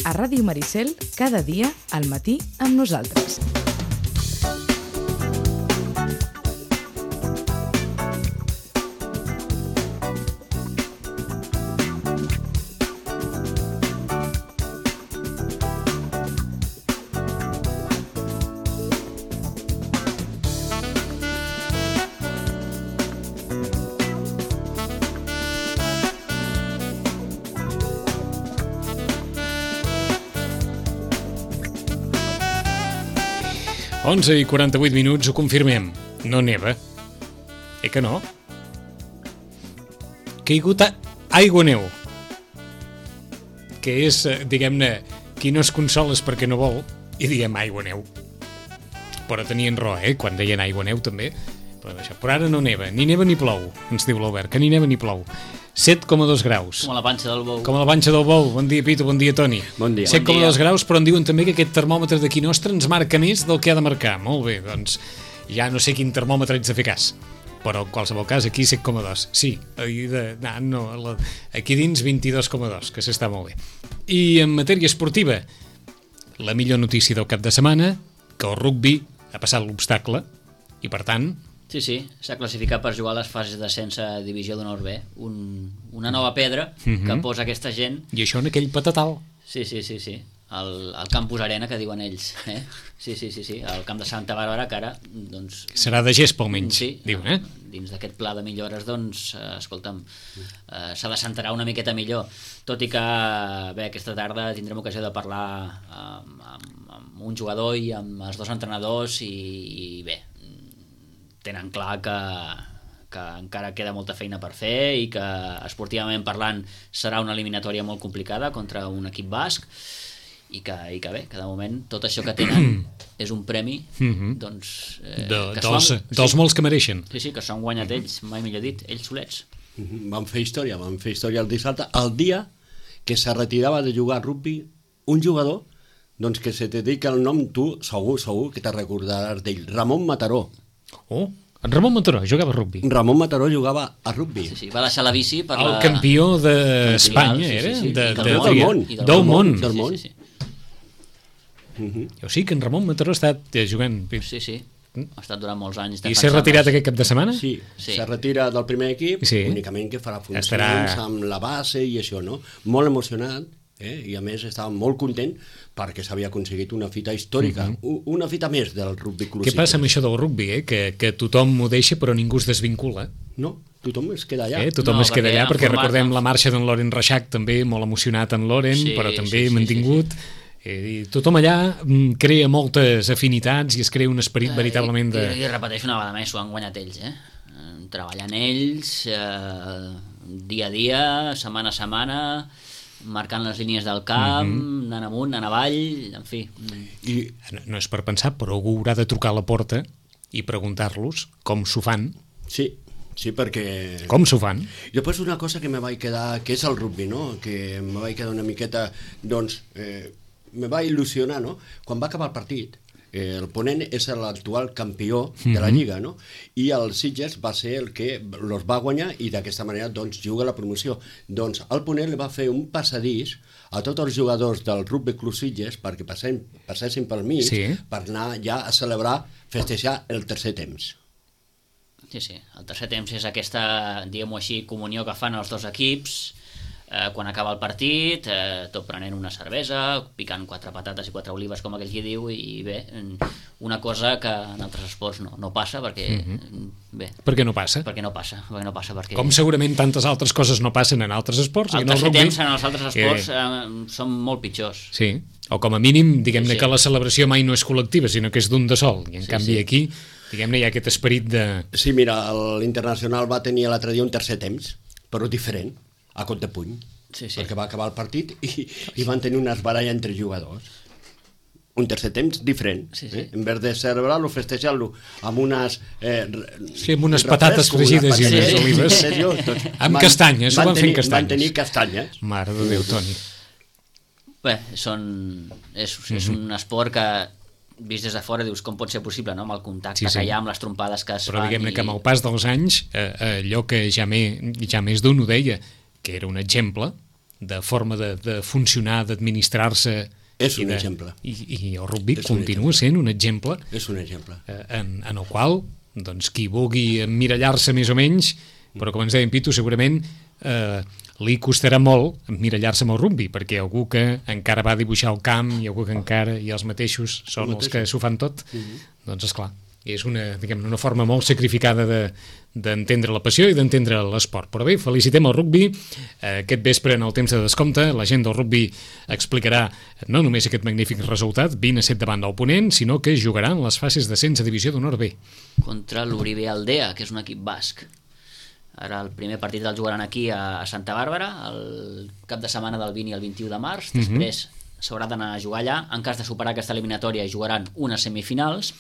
a Ràdio Maricel cada dia al matí amb nosaltres. Onze i 48 minuts, ho confirmem. No neva. Que no? Caigut aigua-neu. Que és, diguem-ne, qui no es consola és perquè no vol, i diem aigua-neu. Però tenien raó, quan deien aigua-neu també. Però ara no neva, ni neva ni plou, ens diu l'Albert, que ni neva ni plou. 7,2 graus. Com a la panxa del bou. Com a la panxa del bou. Bon dia, Pitu, bon dia, Toni. Bon dia. 7,2 graus, però en diuen també que aquest termòmetre d'aquí nostre ens marca més del que ha de marcar. Molt bé, doncs ja no sé quin termòmetre ets de fer cas. Però en qualsevol cas, aquí 7,2. Sí, aquí dins 22,2, que s'està molt bé. I en matèria esportiva, la millor notícia del cap de setmana, que el rugbi ha passat l'obstacle, i per tant... Sí, s'ha classificat per jugar a les fases d'ascens a Divisió d'Honor B. Una nova pedra que posa aquesta gent. I això en aquell patatal. Sí. El Campus Arena, que diuen ells. Sí. El camp de Santa Bàrbara, que ara... doncs, serà de gespa, almenys, sí, diuen, dins d'aquest pla de millores, doncs, escolta'm, s'ha de centrar una miqueta millor. Tot i que, bé, aquesta tarda tindrem ocasió de parlar amb un jugador i amb els dos entrenadors i bé, tenen clar que encara queda molta feina per fer i que esportivament parlant serà una eliminatòria molt complicada contra un equip basc i que bé, que de moment tot això que tenen és un premi doncs, dels molts que mereixen. Sí, que s'han guanyat ells, mai millor dit, ells solets. Van fer història el dissabte, el dia que se retirava de jugar a rugbi un jugador doncs que se te dedica el nom, tu segur que te recordaràs d'ell, Ramon Mataró. Oh, en Ramon Mataró jugava a rugbi. Ramon Mataró jugava a rugbi. Sí, va deixar la bici per el campió d'Espanya, era? Del món. Sí. O sigui que en Ramon Mataró ha estat jugant... Sí. Ha estat durant molts anys. I s'ha retirat aquest cap de setmana? Sí, se retira del primer equip, únicament que farà funcions amb la base i això, no? Molt emocionat, i a més estava molt content perquè s'havia aconseguit una fita històrica, una fita més del rugbi club. Què passa amb això del rugbi, que tothom ho deixa però ningú es desvincula? No, tothom es queda allà. Tothom es queda allà perquè recordem la marxa d'en Loren Reixac, també molt emocionat en Loren, però també mantingut. I tothom allà crea moltes afinitats i es crea un esperit veritablement de... I repeteixo una vegada més, ho han guanyat ells, treballant ells dia a dia, setmana a setmana, marcant les línies del camp, anant amunt, anant avall, en fi. I no és per pensar, però algú haurà de trucar a la porta i preguntar-los com s'ho fan. Sí, perquè... Com s'ho fan? I després una cosa que me vaig quedar, que és el rugbi, no? Que me vaig quedar una miqueta, doncs, me va il·lusionar, no? Quan va acabar el partit, el ponent és l'actual campió de la Lliga, no? I el Sitges va ser el que els va guanyar i d'aquesta manera doncs juga la promoció. Doncs el ponent li va fer un passadís a tots els jugadors del Rugby Club Sitges perquè passessin pel mig per anar ja a celebrar, festejar el tercer temps. Sí, el tercer temps és aquesta, diguem-ho així, comunió que fan els dos equips quan acaba el partit, tot prenent una cervesa, picant 4 patates i 4 olives, com aquell qui diu, i bé, una cosa que en altres esports no passa, perquè... bé, per què no passa? Perquè no passa. Com segurament tantes altres coses no passen en altres esports. El tercer temps en els altres esports són molt pitjors. Sí, o com a mínim, diguem-ne que la celebració mai no és col·lectiva, sinó que és d'un de sol, i en canvi aquí, diguem-ne, hi ha aquest esperit de... Sí, mira, l'Internacional va tenir l'altre dia un tercer temps, però diferent, a cop de puny, perquè va acabar el partit i van tenir una esbaralla entre jugadors. Un tercer temps diferent. En vez de celebrar-lo, festejar-lo amb unes... amb unes patates fregides i unes olives. Amb castanyes, ho van fer amb castanyes. Van tenir castanyes. Mare de Déu, Toni. Bé, és un esport que vist des de fora dius com pot ser possible, no? Amb el contacte que hi ha, amb les trompades que es fan. Però diguem-ne que amb el pas dels anys allò que ja més d'un ho deia, que era un exemple de forma de funcionar, d'administrar-se. És un exemple. I el rugby continua sent un exemple. És un exemple. En el qual, doncs, qui vulgui emmirallar-se més o menys, però com ens deia en Pitu, segurament li costarà molt emmirallar-se amb el rugby, perquè algú que encara va dibuixar el camp i algú que encara, i els mateixos són els que s'ho fan tot, doncs esclar, és una forma molt sacrificada d'entendre la passió i d'entendre l'esport. Però bé, felicitem el rugby. Aquest vespre, en el temps de descompte, la gent del rugby explicarà no només aquest magnífic resultat, 20-7 davant del Ponent, sinó que jugaran les fases d'ascens a Divisió d'Honor B. Contra l'Uribe Aldea, que és un equip basc. Ara el primer partit el jugaran aquí a Santa Bàrbara, el cap de setmana del 20 i el 21 de març. Després s'haurà d'anar a jugar allà. En cas de superar aquesta eliminatòria jugaran unes semifinals,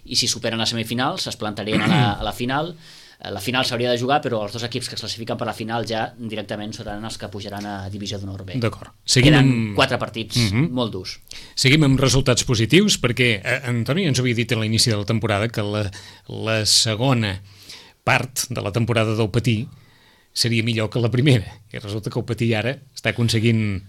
i si superen les semifinals es plantarien a la final. La final s'hauria de jugar, però els dos equips que es classifiquen per la final ja directament seran els que pujaran a Divisió d'Honor B. D'acord. Queden 4 partits molt durs. Seguim amb resultats positius, perquè Antoni ens havia dit a l'inici de la temporada que la segona part de la temporada del Patí seria millor que la primera, i resulta que el Patí ara està aconseguint...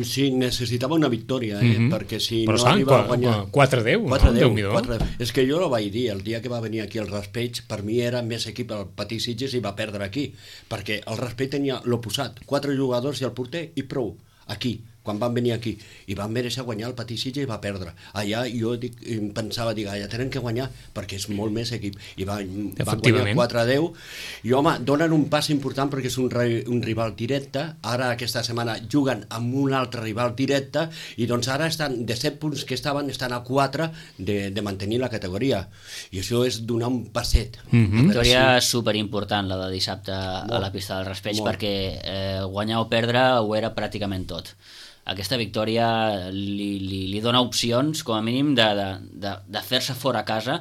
Sí, necessitava una victòria, perquè si però no arriba a guanyar... 4-10, 4-10. És que jo no vaig dir, el dia que va venir aquí el Raspeig, per mi era més equip el Patí Sitges i va perdre aquí, perquè el Raspeig tenia l'oposat, 4 jugadors i el porter i prou, aquí, quan van venir aquí, i van mereixer guanyar el Patí Sitges i va perdre. Allà jo pensava, allà tenen que guanyar, perquè és molt més equip, i van guanyar 4-10, i home, donen un pas important perquè és un rival directe, ara aquesta setmana juguen amb un altre rival directe, i doncs ara estan, de 7 punts que estan a 4 de mantenir la categoria, i això és donar un passet. Victòria superimportant, la de dissabte a la pista del Raspeig, perquè guanyar o perdre ho era pràcticament tot. Aquesta victòria li dona opcions, com a mínim, de fer-se fora a casa.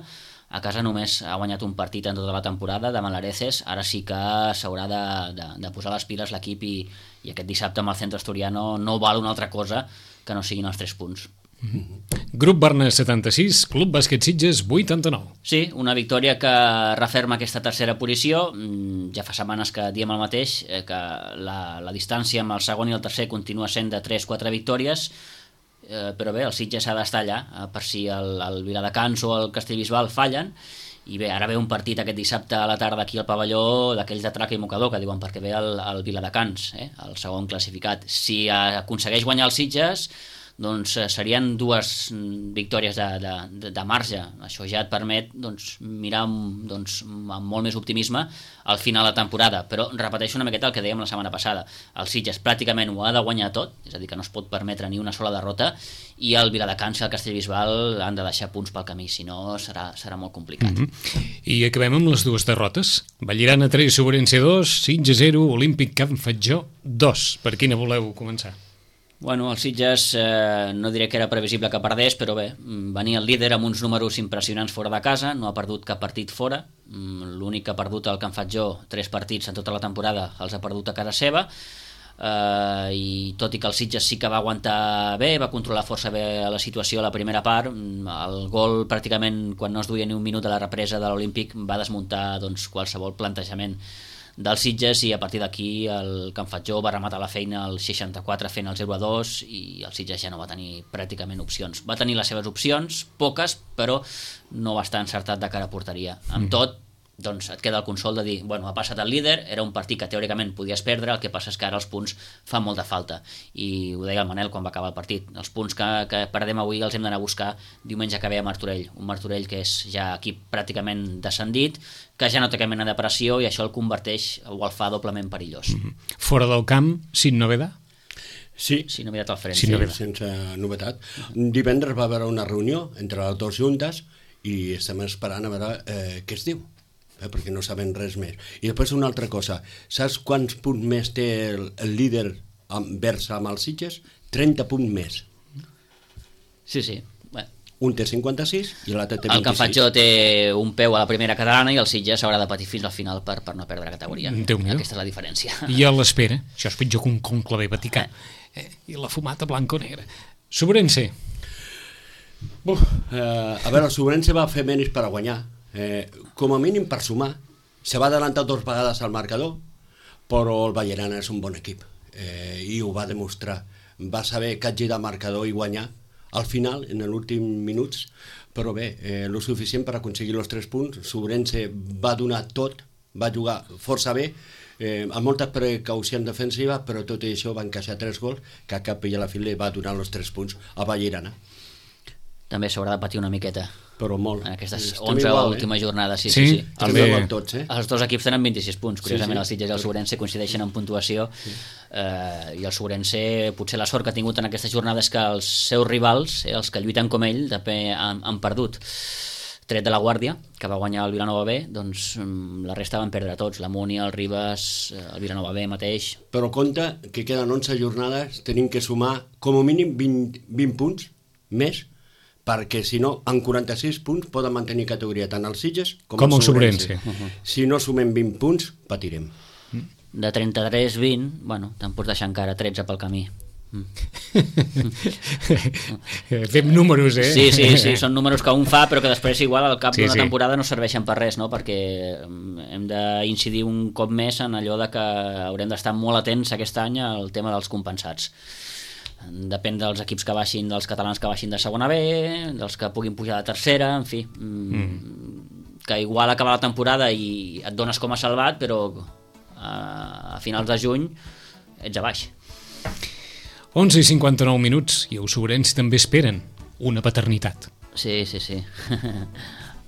A casa només ha guanyat un partit en tota la temporada, davant l'Areces. Ara sí que s'haurà de posar les piles l'equip, i aquest dissabte amb el Centro Asturiano no val una altra cosa que no siguin els 3 punts. Grup Barna 76, Club Bàsquet Sitges 89. Sí, una victòria que referma aquesta tercera posició. Ja fa setmanes que diem el mateix, que la distància amb el segon i el tercer continua sent de 3-4 victòries, però bé, el Sitges s'ha d'estar allà, per si el Viladecans o el Castellbisbal fallen. I bé, ara ve un partit aquest dissabte a la tarda aquí al pavelló d'aquells de traca i mocador, que diuen, perquè ve el Viladecans, el segon classificat. Si aconsegueix guanyar el Sitges, doncs serien 2 victòries de marge. Això ja et permet mirar amb molt més optimisme al final de la temporada, però repeteixo una miqueta el que dèiem la setmana passada. El Sitges pràcticament ho ha de guanyar tot, és a dir, que no es pot permetre ni una sola derrota, i el Viladecans i el Castellbisbal han de deixar punts pel camí, si no serà molt complicat. I acabem amb les 2 derrotes. Vallirana 3, Sobrense 2, Sitges 0, Olímpic Can Fatjó 2. Per quina voleu començar? Bueno, el Sitges no diré que era previsible que perdés, però bé, venia el líder amb uns números impressionants fora de casa, no ha perdut cap partit fora, l'únic que ha perdut el Can Fatjó, 3 partits en tota la temporada, els ha perdut a casa seva, i tot i que el Sitges sí que va aguantar bé, va controlar força bé la situació a la primera part, el gol pràcticament quan no es duia ni un minut de la represa de l'Olímpic va desmuntar qualsevol plantejament del Sitges, i a partir d'aquí el Can Fatjó va rematar la feina al 64 fent el 0-2, i el Sitges ja no va tenir pràcticament opcions. Va tenir les seves opcions, poques, però no va estar encertat de cara a porteria. Amb tot, doncs et queda el consol de dir, bueno, ha passat el líder, era un partit que teòricament podies perdre, el que passa és que ara els punts fan molta falta, i ho deia el Manel quan va acabar el partit, els punts que perdem avui els hem d'anar a buscar diumenge que ve a Martorell, un Martorell que és ja equip pràcticament descendit, que ja no té cap mena de pressió, i això el converteix o el fa doblement perillós. Fora del camp, sin novedad? Sí, sin novetat al front. Sí, sense novetat. Divendres va haver una reunió entre les 2 juntes i estem esperant a veure què es diu, perquè no sabem res més. I després una altra cosa, saps quants punts més té el líder vers amb els Sitges? 30 punts més. Sí. Un té 56 i l'altre té 26. El Can Fatjó té un peu a la primera catalana i el Sitges haurà de patir fins al final per no perdre categoria. Aquesta és la diferència. I a l'espera, això és pitjor que un conclave vaticà, i la fumata blanca o negra. Sobrense. A veure, el Sobrense va fer menys per a guanyar. Com a mínim per sumar. Se va adelantar 2 vegades al marcador, però el Vallirana és un bon equip. i ho va demostrar. Va saber capgirar marcador i guanyar al final, en l'últim minuts, però bé, lo suficient per aconseguir els 3 punts. Sobrense va donar tot, va jugar força bé, amb molta precaució en defensiva, però tot i això va encaixar 3 gols, que a cap i a la fi li va donar els 3 punts a Vallirana. També s'haurà de patir una miqueta Però molt. en aquestes Estem 11 igual, últimes jornades. Sí. també. Tots, Els dos equips tenen 26 punts. Curiosament, Sí. els Sitges i el Sobrense coincideixen en puntuació, i el Sobrense, potser la sort que ha tingut en aquestes jornades que els seus rivals, els que lluiten com ell, també han perdut. Tret de la Guàrdia, que va guanyar el Vilanova B, doncs la resta van perdre tots, la Múnia, el Ribes, el Vilanova B mateix. Però compte que queden 11 jornades, tenim que sumar com a mínim 20 punts més, perquè si no, en 46 punts poden mantenir categoria tant els Sitges com el Sobrense. Si no sumem 20 punts, patirem. De 33-20, bueno, te'n pots deixar encara 13 pel camí. Fem números, Sí, són números que un fa, però que després igual al cap d'una sí. temporada no serveixen per res, no? Perquè hem d'incidir un cop més en allò de que haurem d'estar molt atents aquest any al tema dels compensats. Depèn dels equips que baixin, dels catalans que baixin de segona B, dels que puguin pujar de tercera, en fi, que igual acaba la temporada i et dones com a salvat, però a finals de juny ets a baix. 11:59 minuts i els Sobrense també esperen una paternitat. Sí.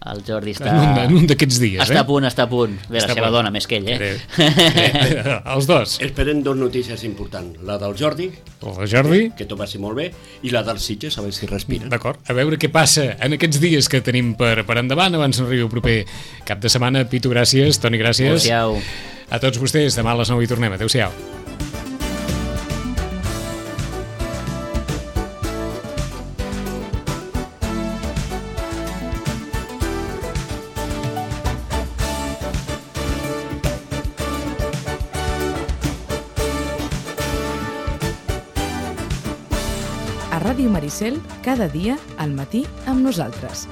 El Jordi està... En un d'aquests dies, Està a punt. Bé, la seva dona, més que ell, Els dos. Esperen 2 notícies importants, la del Jordi, El Jordi. que tot va ser molt bé, i la dels Sitges, a veure si respira. D'acord, a veure què passa en aquests dies que tenim per endavant abans no arribi el proper cap de setmana. Pitu, gràcies, Toni, gràcies. Adéu-siau. A tots vostès, demà a les 9 hi tornem. Adéu-siau. A Ràdio Maricel, cada dia al matí amb nosaltres.